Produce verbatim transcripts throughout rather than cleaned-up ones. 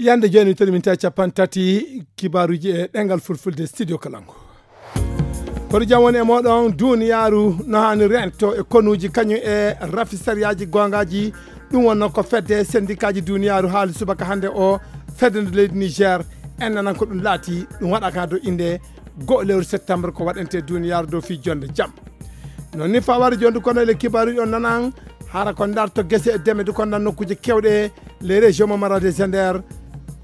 Yande jooni toni min tawi capanɗe tati kibaaruuji e ɗemngal fulfulde studio Kalangu. Kono jam woni e mooɗon, duniyaaru no haani rento e konuuji kañum e rafi sariyaaji goongaaji. Ɗum wonno ko fedde sendikaaji duniyaaru haali subaka hannde o, fedde nde leydi Niger. En nanan ko ɗum laati, ɗum waɗaka dow innde goo lewru septembre ko waɗante duniyaaru dow fii jonde jam. Noon ni faware jonde kono ele kibaaruuji on nanan, hara ko ndarto gese e deme du kono nokkuuje kewɗe, les régions mo Maradi e Zender,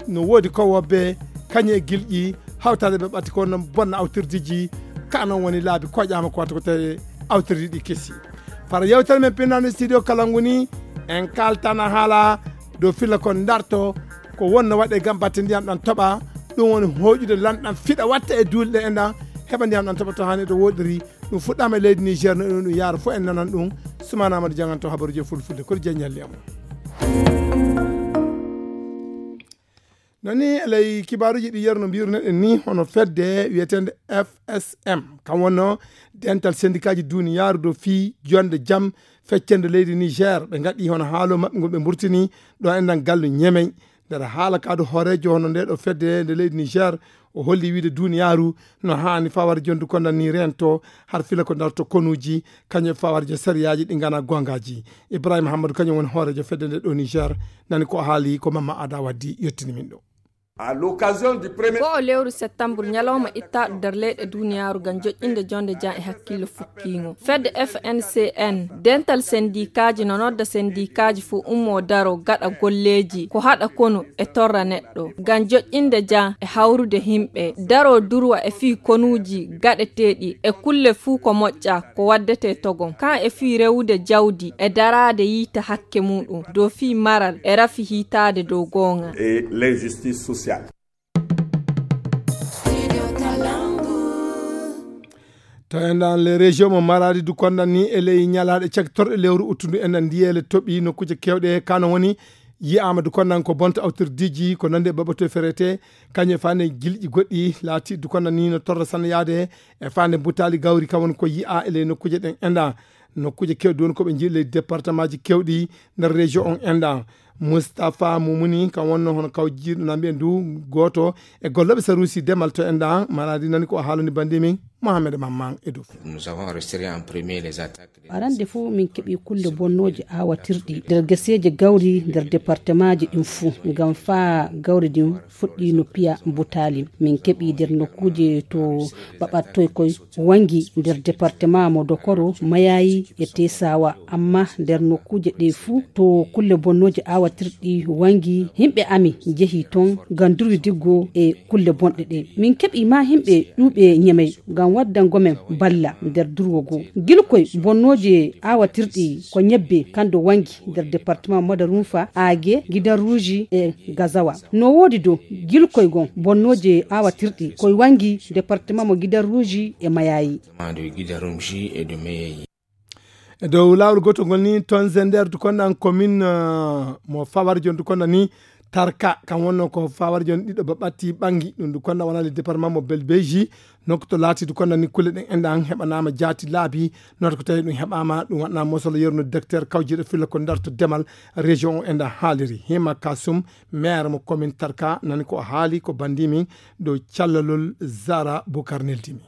no woodi ko wobbe, kañum e gilƴi, hawtaade ɓe ɓatti ko no bonna awtirdiiji, ka noon woni laabi koƴaama ko wata ko tawi awtirdi ɗi kesi. Fara yewtere men pinnano studio Kalangu ni, en kaltana haala dow filla ko ndarto, ko wonno waɗe gam batte ndiyam ɗam toɓa, ɗum woni hooƴude lanɗam fiɗa watta e duule ɗe enɗam, heɓa ndiyam ɗam toɓa to haani to woɗɗiri. Ɗum fuɗɗaama e leydi Niger, no ɗum, ɗum yaara fof en nanan ɗum. Sumana Amadou Dianganto habaruji e fulfulde, koɗi jeññalli am. Nani e ley kibaaruuji ɗi yerno mbirunoɗen ni, hono fedde wiyeteende F S M, kam wonno dental sendikaaji duniyaaru dow fii jonde jam feccende leydi Niger. Ɓe ngaɗi hono haalo maɓɓe ngol ɓe mburtini ɗo enɗan gallu Ñemey. Nder haala ka du hooreejo hono nde ɗo fedde nde leydi Niger, o holli wiide duniyaaru no haani faware jondu kono ni rento har fila ko ndarto konuuji, kañum e faware jo sariyaaji ɗi ngana goongaaji. Ibrahima Hammadou kañum woni hooreejo fedde nde ɗo Niger, nani ko haali ko Mamma Ada Waddi yettini min ɗo. À l'occasion du premier Ko o lewru septembre ñalawma ittaaɗo nder leyɗe duniyaaru ngam joƴƴinde jonde jam e hakkillo fukkiingo. Fedde F N C N, dental sendikaaji no nodda sendikaaji fof ummo daro gaɗa golleeji ko haɗa konu e torra neɗɗo. Ngam joƴƴinde jam e hawrude yimɓe, daro durwa e fii konuuji gaɗeteeɗi e kulle fuu ko moƴƴa ko waddete togon. Kan e fii rewude jawdi e daraade yiita hakke muɗum dow fii maral e rafi hiitaade dow goonga. Et l'injustice sociale. To enɗan les régions mo Maradi du kondan ni e ley ñalaaɗe caktorɗe lewru uttundu enɗan ndiyeele toɓi nokkuuje kewɗe kano woni yi'aama du kondan ko bonta awtirdiiji ko nande baɓatoy ferete kañum e faande gilƴi goɗɗi laati du kondan ni no torra sannayaade e faande butaali gawri kam woni ko yi'a e ley nokkuuje ɗen enɗan. Nokkuuje kewɗi woni ko ɓe njiyi ley département ji kewɗi nder région on enɗan. Moustapha Mumuni kam wonno hono kaw jiiɗo na mbiyen du gooto e gollooɓe saruusi demal to enɗan. Maradi nani ko o haalani bandi min Mohamed Mamman e dow. Nous avons resté en premier les attaques. Arande fof min keɓi kulle bonnooje aawatirɗi nder geseeje gawri nder département ji ɗin fuu ngam faa gawri ɗin fuɗɗi no piya butaali. Min keɓi nder nokkuuje to ɓaɓattoy koy wangi nder département mo Dokoro, Mayayi e Tesawa. Amma nder nokkuuje ɗe fuu to kulle bonnooje aawatirɗi wangi, yimɓe ami njehi ton ngam durwi diggo e kulle bonɗe ɗe. Min keɓi ma yimɓe ɗuuɓe Ñemey ngam waddango men balla nder durwo goo. Gilkoy bonnooje aawatirɗi ko ñebbe kando wangi nder département Madarunfa, Age, Gidan Ruuji e Gazawa. No woodi dow gilkoy gon bonnooje aawatirɗi koy wangi département mo Gidan Ruuji e Mayayi. Département de Gidan Ruuji et de Mayayi. E dow laawol gootol ngol ni, toon Zender du konɗan commune, eh, mo Fawar jon du konɗan ni, Tarka, kam wonno ko Fawar jon ɗiɗo ba ɓatti ɓangi, ɗum du konɗan wonani département mo Belbeji, nokku to laati du konɗan ni kulle ɗen enɗan heɓanaama jaati laabi, noto ko tawi ɗum heɓaama, ɗum waɗna mosol yerno docteur kawjiɗo filla ko ndarto demal région o enɗan haaliri. Hima Kasum, maire mo commune Tarka, nani ko o haali ko bandi min dow callalol Zara Bukar neldimi.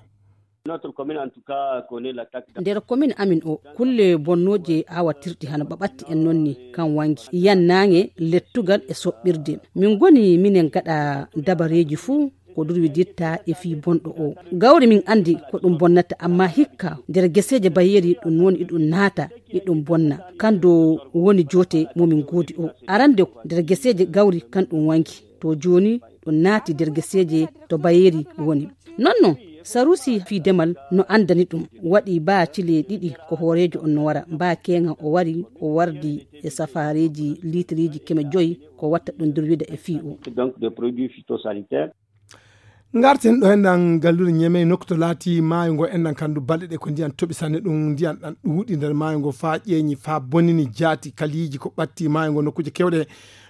Notre commune, en tout cas, connaît l'attaque. Nder commune amin o, kulle bonnooje aawatirɗi hano ɓaɓatti en nonni kan wangi. Yan naange, lettugal e soɓɓirde. Min ngoni minen gaɗa dabareeji fuu ko durwiditta e fii bonɗo o. Gawri min andi ko ɗum bonnata, amma hikka nder geseeje bayeeri ɗum woni iɗum naata, iɗum bonna. Kan do woni joote mo min goodi o. Arande nder geseeje gawri kan ɗum wangi. To jooni ɗum naati nder geseeje to bayeeri woni. Non non, sarusi fii demal no andani ɗum. Waɗi baa cile ɗiɗi ko hooreejo on no wara. Baa keeŋa o wari, o wardi e safaareeji liitiriiji keme joyi ko watta ɗum durwida e fii o. Donc des produits phytosanitaires. Ngarten ɗo enɗan galluure Ñemey, nokku to laati maayo ngo enɗan kandu balɗe ɗe ko ndiyan toɓi sanne, ɗum ndiyan ɗan ɗuuɗi nder maayo ngo faa ƴeeñi, faa bonini jaati kaliiji ko ɓatti maayo ngo nokkuuje kewɗe.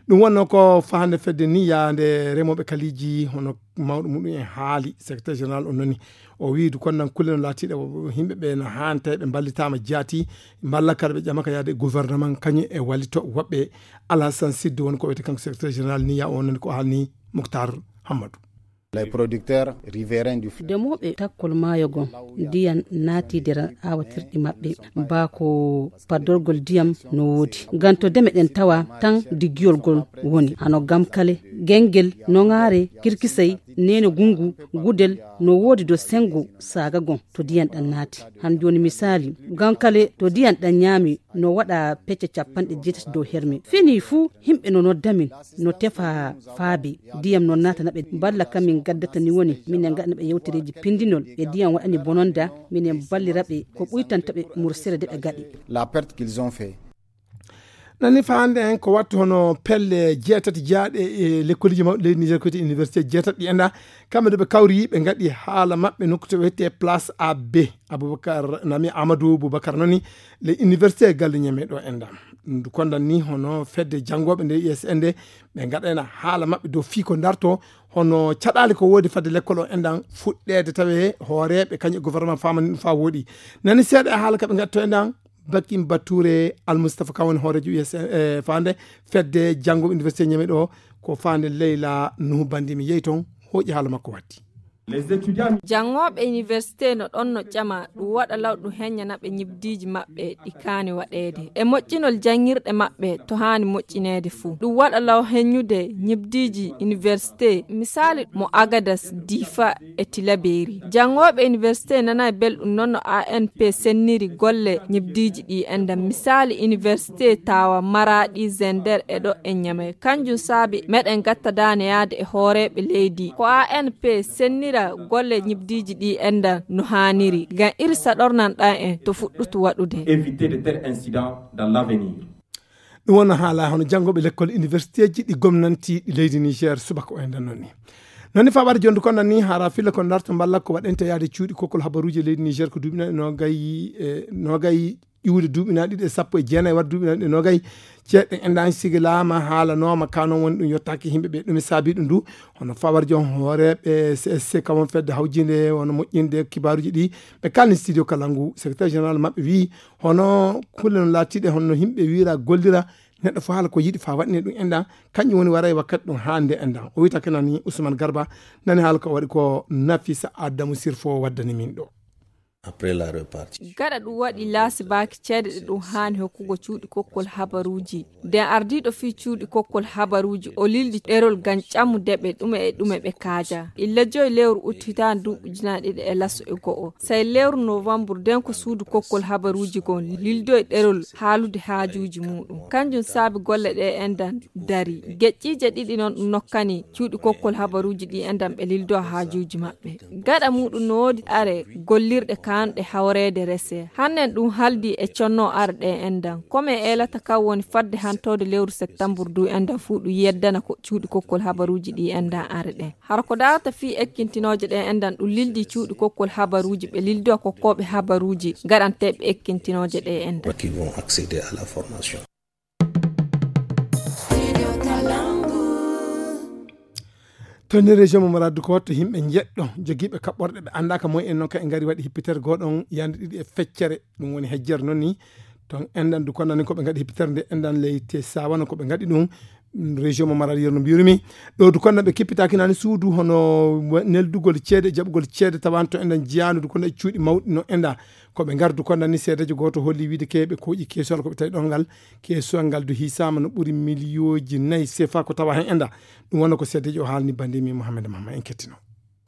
Ɗum wonno ko fahande fedde ni yaande remooɓe kaliiji hono mawɗo muɗum en haali, secrétaire général on noni. O wii du konnan kulle no laatiiɗe yimɓe ɓe no haani tawi ɓe mballitaama jaati, mballa kadi ɓe ƴama ka yaade e gouvernement kañum e wallito woɓɓe. Alhasan Sidde woni ko wiyete kanko secrétaire général niya o nani ko haalni Muktar Hammadu. Les producteurs riverains du fleuve. Demooɓe takkol maayo gon ndiyan naati nder aawatirɗi maɓɓe, baa ko paddorgol ndiyam no woodi. Ngam to deme ɗen tawa tan diggiyol gol woni. Hano Gamkale, Gengel, Noŋaare, Kirkisay, Neene Gungu, Gudel, no woodi do sengo saaga gon to ndiyan ɗan naati. Han jooni misaali, Gamkale to ndiyan ɗan ñaami no waɗa pecce capanɗe jeetati dow herme. Fini fuu yimɓe no nodda min, no tefa faabi. Ndiyam no naatana ɓe. Balla ka min gaddata ni woni, minen gaɗana ɓe yewtereeji pindinol e ndiyam waɗani bononda, minen ballira ɓe ko ɓuytanta ɓe mursere de ɓe gaɗi. La perte qu'ils ont fait. Nani faande en ko wattu hono pelle jeetati jaaɗe e lekkoliji mawɗi leydi Niger ko wiyete université jeetati ɗi enda. Kamɓe de ɓe kawri ɓe ngaɗi haala maɓɓe nokku to wiyete place A B. Aboubacar Nami Amadou Boubacar noni le université galle ñeme ɗo enda. Ndu kondan ni hono fedde janngoɓe nde U S N de ɓe ngaɗayna haala maɓɓe dow fii ko darto hono caɗaali ko woodi fadde lekkol o endan fuɗɗeede tawe hooreeɓe kañum e gouvernement famani ɗum faa wooɗi. Nani seeɗa e haala ka ɓe ngaɗto endan. Bakim Bature Almustafa kan woni hooreejo U S N e faande fedde janngoɓe université ñeme ɗo ko faande Leyla Nuhu Bandi mi yehi toon hooƴi haala makko waddi. Janngooɓe iniwersite no ɗon no ƴama ɗum waɗa law ɗum heññana ɓe ñibdiiji maɓɓe ɗi kaani waɗeede e moƴƴinol janngirɗe maɓɓe to haani moƴƴineede fuu. Ɗum waɗa law heññude ñibdiiji iniwersite, misaali mo Agadas, Difa e Tilabeeri. Janngooɓe iniwersite nanaay belɗum noon no A N P senniri golle ñibdiiji ɗi enɗam, misaali iniwersite Taawa, Maraaɗi, Zender e ɗo e Ñamey. Kanjum saabi meɗen gatta daane yaade e hooreeɓe leydi ko A N P sennira golle ñibdiiji ɗi enɗam no haaniri ngam iri saɗornan ɗan en to fuɗɗutu waɗude. Éviter de tels incidents dans l'avenir. Ɗum wonno haala hono janngooɓe lekkol iniwersiteeji ɗi gomnanti ɗi leydi Niger subaka o enɗam noon ni. Noon ni faa waɗa jondu kon nan ni hara filla kon darto mballa ko waɗente yaade cuuɗi kokkol habaruuji e leydi Niger ko duuɓi nayi e noogay e noogay ƴuwde duuɓi nayi ɗiɗi e sappo e jeenayi waɗa duuɓi nayi ɗiɗi e noogay ceeɗe enɗan sigilaama haalanooma ka noon woni ɗum yottaaki yimɓe ɓe ɗum e saabi ɗum du hono faa waɗa joom hooreeɓe C S C kam won fedde hawjinde wona moƴƴinde kibaaruuji ɗi ɓe kalni studio kalangu secrétaire général maɓɓe wii hono kulle no laatiiɗe honno yimɓe wiira gollira neɗɗo fof haala ko yiɗi faa waɗine ɗum enɗan kañum woni waray wakkati ɗum haande enɗan o wiyta ke nani Ousmane Garba nani haala ko waɗi ko Nafisa Adamu Sirfo waddani min ɗo. Après la répartition. Gaɗa ɗum waɗi laasibaaki ceede ɗe ɗum haani hokkugo cuuɗi kokkol habaruuji. Nden ardiiɗo fii cuuɗi kokkol habaruuji o lildi ɗerol ngam ƴamude ɓe ɗume e ɗume ɓe kaaja. Illa joyi lewru ut hitaande duuɓi ujunaaje ɗiɗi e laso e go'o. Sey lewru novambur nden ko suudu kokkol habaruuji ngon lildoyi ɗerol haalude haajuuji muuɗum. Kanjum saabi golle ɗe enɗan dari. Geƴƴiije ɗiɗi non ɗum nokkani cuuɗi kokkol habaruuji ɗi enɗan ɓe lildo haajuuji maɓɓe. Gaɗa muuɗum no woodi are gollirɗe kaanɗe hawreede rese. Hannen ɗum haldi e conno are ɗe enɗan. Ko men eelata kan woni fadde hantoode lewru septambur du enɗan fuu ɗum yeddana ko cuuɗi kokkol habaruuji ɗi enɗan are ɗen. Hara ko daarata fii ekkintinooje ɗe enɗan ɗum lildi cuuɗi kokkol habaruuji ɓe lildo kokkooɓe habaruuji gaɗanteeɓe ekkintinooje ɗe enɗan. Qui vont accéder à la formation. To nder région mo Maradi ko to yimɓe njeɗɗo jogiiɓe kaɓɓorɗe ɓe anndaaka moy en noon kay ngari waɗi hippitere gooɗon yande ɗiɗi e feccere ɗum woni hejjere noon ni toon enɗan du konnani ko ɓe ngaɗi hippitere nde enɗan leyte sawana ko ɓe ngaɗi ɗum région mo Maradi yerno mbiyirumi ɗo du konnan ɓe kippitaaki nani suudu hono neldugol ceede jaɓugol ceede tawanto enɗan jiyaanu du konnan e cuuɗi mawɗi no enɗan ko ɓe ngardu konnan ni seedeejo gooto holli wiide ke ɓe kooƴi keesuwal ko ɓe tawi ɗon ngal keesuwal ngal du hiisaama no ɓuri miliyooji nayi sefa ko tawa heen enɗan ɗum wonno ko seedeejo o haalni bande mi Mohamed Mahma en kettino.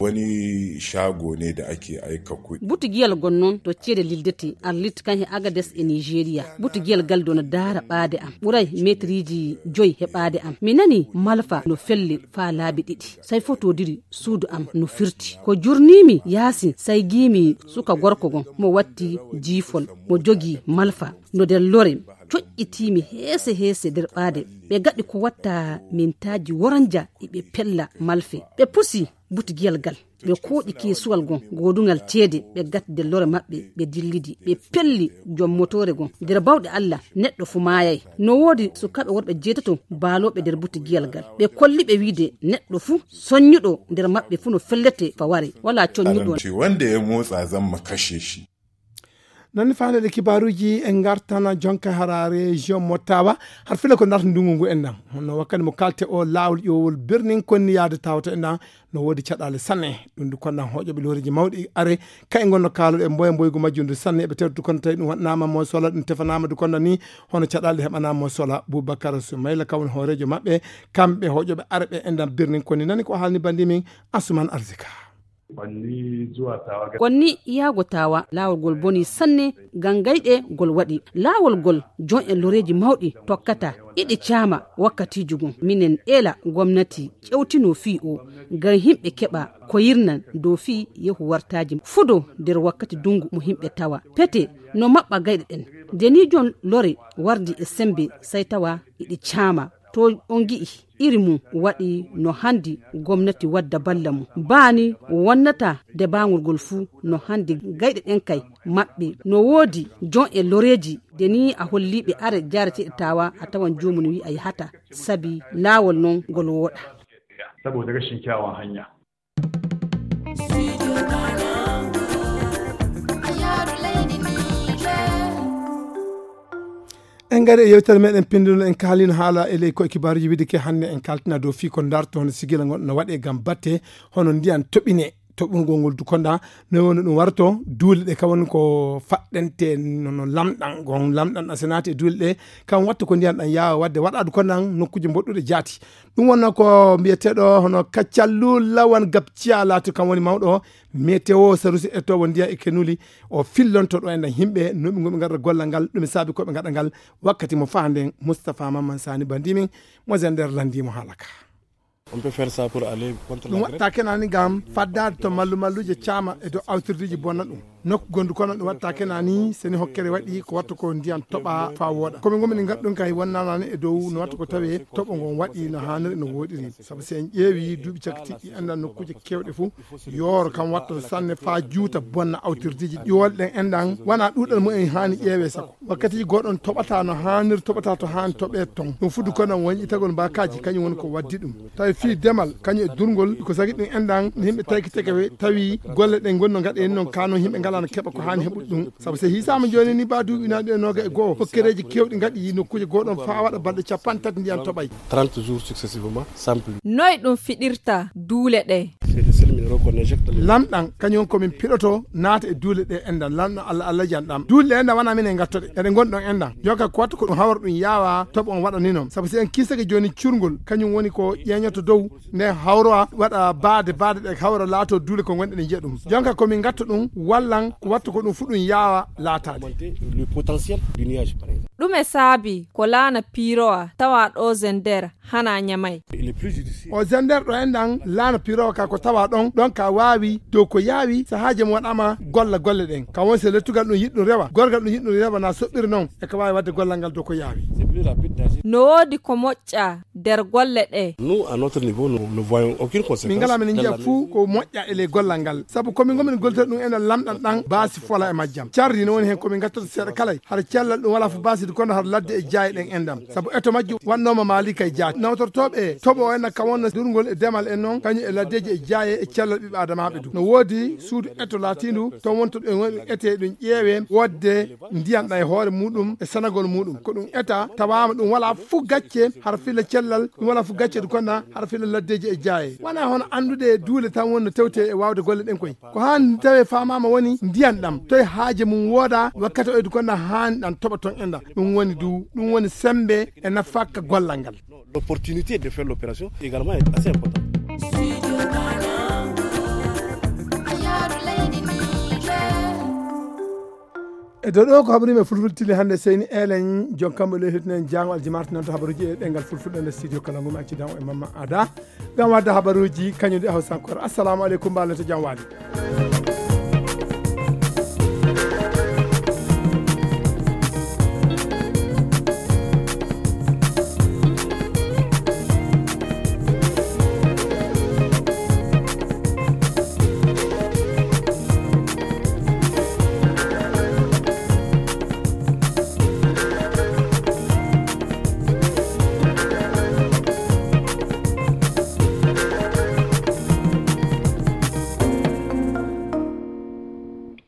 Wani shago ne da ake aika kuɗi. Butugiyal gon noon to ceede lildete arlit kan he Agades e Nigeria. Butugiyal gal dona daara ɓaade am ɓuray meetriiji joyi he ɓaade am. Mi nani malfa no felle faa laabi ɗiɗi. Say fotodiri suudu am no firti. Ko jurnimi yaasin say giimi suka gorko gon mo watti jiifol mo jogi malfa no nder lore. Coƴƴitiimi heese heese nder ɓaade ɓe gaɗi ko watta mintaaji woranja iɓe pella malfe ɓe pusi. butugiyal gal. Ɓe kooƴi keesuwal gon goodungal ceede, ɓe gatti nder lore maɓɓe, ɓe dillidi, ɓe pelli jom motoore gon. Nder bawɗe Allah, neɗɗo fu maayay. No woodi sukaaɓe worɓe jeetato baalooɓe nder butugiyal gal. Ɓe kolli ɓe wiide neɗɗo fu soññuɗo nder maɓɓe fu no fellete faware. Walaa coññuɗo. Aranti wanda ya motsa zan mu kashe shi. Nani faandeeɗe kibaaruuji e ngartana jonka hara région mo Tawa, har fila ko ndarta ndungu ngu en ɗan. Hono wakkati mo kalte o laawol ƴowol birnin konni yaade Tawa to en ɗan, no woodi caɗaale sanne. Ɗum du konda hoƴoɓe looreeji mawɗi are, kay ngonno kaaloɗe mboya mboygu majjum du sanne, ɓe tewtu kono tawi ɗum waɗnaama mo sola, ɗum tefanaama du konda ni, hono caɗaale heɓanaama mo sola. Bubakar Sumayla kawon hooreejo maɓɓe, kamɓe hoƴoɓe are ɓe en ɗan birnin konni. Nani ko haalni bandi min Asuman Arzika. Konni yaago Tawa, laawol ngol boni sanne, ngam gayɗe ngol waɗi. Laawol ngol jon en loreeji mawɗi tokkata, iɗi caama wakkatiiju gon. Minen eela gomnati ƴewtino fii o, ngam himɓe keɓa ko yirnan dow fii yehu wartaaji fudo nder wakkati dungu mo himɓe tawa. Pete no maɓɓa gayɗe ɗen. Nde ni jon lore wardi e sembe, sai tawa iɗi caama. To on gi'i iri mum waɗi no handi gomnati wadda balla mum. Baani wonnata nde baangol ngol fuu no handi gayɗe ɗen kay maɓɓe. No woodi jon e loreeji de ni a holliiɓe are jaareteeɗe tawa a tawan joomum wi'a yahata sabi laawol non ngol wooɗa. Saboda rashin kyawun hanya. En ngari e yewtere meɗen pinduno en kaalino haala e ley koye kibaaruji wiide ke hannde en kaltina dow fii ko darto hono sigila ngon no waɗe ngam batte hono ndiyan toɓine toɓungol ngol du konda no woni ɗum warto duule ɗe kawon ko faɗɗente no lamɗan gon lamɗan a senaati e duule ɗe kam watta ko ndiyan ɗan yaawa wadde waɗaɗu kondan nokkuuje mboɗɗuɗe jaati. Ɗum wonno ko mbiyeteeɗo hono Kaccallu Lawan Gabciya laati kam woni mawɗo météo sarusi e towo ndiyan e kenuli o fillonto ɗo enɗan yimɓe noɓi ngoɓe ngaɗa gollal ngal ɗum saabi koɓe ngaɗa ngal wakkati mo faanden Moustapha Mamman Sani bandimin mo zender landimo haalaka. On peut faire ça pour aller contre la grêpe. Ɗum watta kenani ngam faddaade to mallu malluje caama e dow awtirdiiji bonna ɗum. Nokku gondu kono ɗum watta kena ni seni hokkere waɗi ko watta ko ndiyan toɓa fa wooɗa komi gomini ngadɗum kay wonnanani e dow no watta ko tawe toɓo ngon waɗi no haniri no woɗiri sabu si en ƴeewi duuɓi cakki tiɗɗi anda nokkuuje kewɗe fuu yooro kam watta sanne fa juuta bonna awtirdiiji ƴiwol ɗen endan wona ɗuɗal mumen hani ƴeewe sako wakkati goɗon toɓata no haniri toɓata to hani toɓe ton ɗum fuddu kono woni itagol mbakaji kañum woni ko waddi ɗum tawi fii demal kañum e durgol ko sagi ɗum enɗan no yimɓe tawki teke tawi golle ɗe gonno gaɗa en noon kano yimɓe ngalano keɓa ko hani heɓude ɗum sabu so hisama joni ni ba duuɓi naɗi e noga e goho hokkereji kewɗi gaɗi yi nokkuji goɗon fa waɗa balɗe capanɗe tati ndiyan toɓay. Trente jours successivement sans pluie. Noy ɗum fiɗirta duule ɗe? Lamɗan kañum komin piɗoto naata e duule ɗe enɗan lamɗo allah allah jan ɗam duule ɗe enɗan wona minen gattoɗe eɗe gonɗon enɗan jonka ko watta ko ɗum hawra ɗum yawa toɓo on waɗa ni noon sabu si en kisake joni curgol kañum woni ko ƴeñoto dow nde hawrowa waɗa baade baade ɗe hawra laato duule ko gonɗe ɗe njiya ɗum jonka komin gatta ɗum wallan ko watta ko ɗum fu ɗum yawa laataade. Ɗume saabi ko laana piirowa tawa ɗo zender hana ñamay? O zender ɗo enɗan laana piirowa ka ko tawa ɗon ɗon ka waawi dow ko yaawi sahaaji mo waɗama golla golle ɗen ka won se lettugal ɗum yiɗɗum rewa gorgal ɗum yiɗɗum rewa na soɓɓiri noon e ka waawi waɗde gollal ngal dow ko yaawi. No woodi ko moƴƴa nder golle ɗe? Nous à notre niveau nous ne voyons aucune conséquence. Min ngala min njiya fuu ko moƴƴa e ley gollal ngal sabu komin gomin gollitor ɗum enen lamɗan ɗan baasi fola e majjam cardi no woni heen komin gattata seeɗa kala hara cellal ɗum wala fo baaside kono hara ladde e jaaye ɗen enɗam sabu eto majjum wannoma maali kay jaati nawtortoɓe toɓo o enna kam wonno durgol e demal en noon kañum e laddeji e jaaye e cellal ɓiɓɓe adamaɓe du no woodi suudu eto laatindu toon wonto ɗum woni ete ɗum ƴeewe wodde ndiyan ɗa e hoore muɗum e sanagol muɗum ko ɗum eta tawama ɗum wala fuu gacce hara filla cellal ɗum wala fuu gacce du konna hara filla laddeji e jaaye wona hono andude duule tan wonno tewte e wawde golle ɗen koy ko han tawe famama woni ndiyan ɗam toye haaje mum wooda wakkati oydu konna han ɗan toɓa ton enɗa ɗum woni du ɗum woni sembe e nafakka gollal ngal. L'opportunité de faire l'opération également est assez importante. E dow ɗo ko haɓri men fulfulde tili hannde seyni elen jon kamɓe ɗo hettinen jango aljimarti nanto habaruji e ɗengal fulfulde nder studio kala ngum accidan e mamma ada ngam wadde habaruji kañum ɗi hawsankore assalamu aleykum mbalento jam waali.